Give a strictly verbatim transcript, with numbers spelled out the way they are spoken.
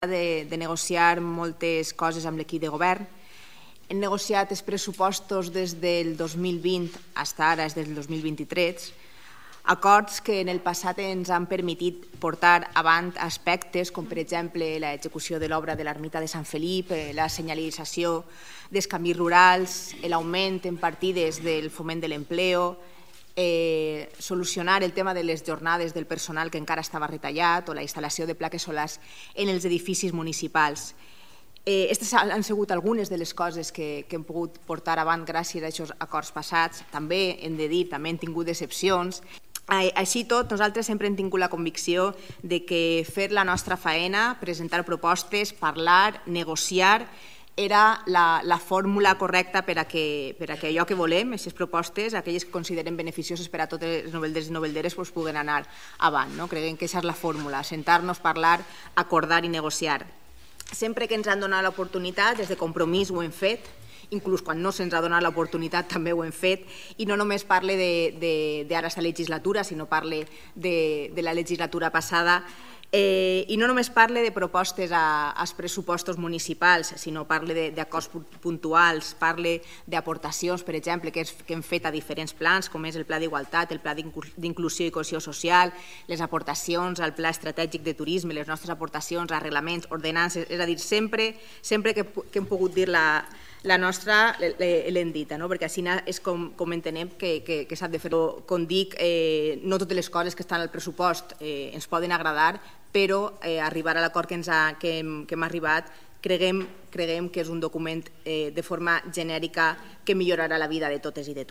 De, de negociar moltes coses amb l'equip de govern. Hem negociat els pressupostos des del dos mil vint fins ara, des del dos mil vint-i-tres, acords que en el passat ens han permitit portar avant aspectes com, per exemple, l'execució de l'obra de l'ermita de Sant Felip, la senyalització dels camins rurals, l'augment en partides del foment de l'empleo, Eh, solucionar el tema de les jornades del personal que encara estava retallat o la instal·lació de plaques solars en els edificis municipals. Aquestes eh, han sigut algunes de les coses que, que hem pogut portar avant gràcies a aquests acords passats. També hem de dir, també hem tingut decepcions. Així tot, nosaltres sempre hem tingut la convicció de que fer la nostra faena, presentar propostes, parlar, negociar, era la, la fórmula correcta per a, que, per a que allò que volem, aquestes propostes, aquelles que considerem beneficioses per a totes les novelderes i novelderes, doncs puguen anar avant. No? Creiem que aquesta és la fórmula, sentar-nos, parlar, acordar i negociar. Sempre que ens han donat l'oportunitat, des de Compromís ho hem fet, inclús quan no se'ns ha donat l'oportunitat també ho hem fet, i no només parle d'ara esta legislatura, sinó parle de, de la legislatura passada, Eh, i no només parle de propostes a, als pressupostos municipals, sinó parle d'acords puntuals, parle d'aportacions, per exemple, que, és, que hem fet a diferents plans, com és el Pla d'Igualtat, el Pla d'Inclusió i Cohesió Social, les aportacions al Pla Estratègic de Turisme, les nostres aportacions a reglaments, ordenances, és a dir, sempre, sempre que, que hem pogut dir la, la nostra l'hem dita, no? Perquè així és com, com entenem que, que, que s'ha de fer. Com dic, eh, no totes les coses que estan al pressupost eh, ens poden agradar, però eh, arribar a l'acord que, ens ha, que, hem, que hem arribat creguem, creguem que és un document eh, de forma genèrica que millorarà la vida de totes i de tots.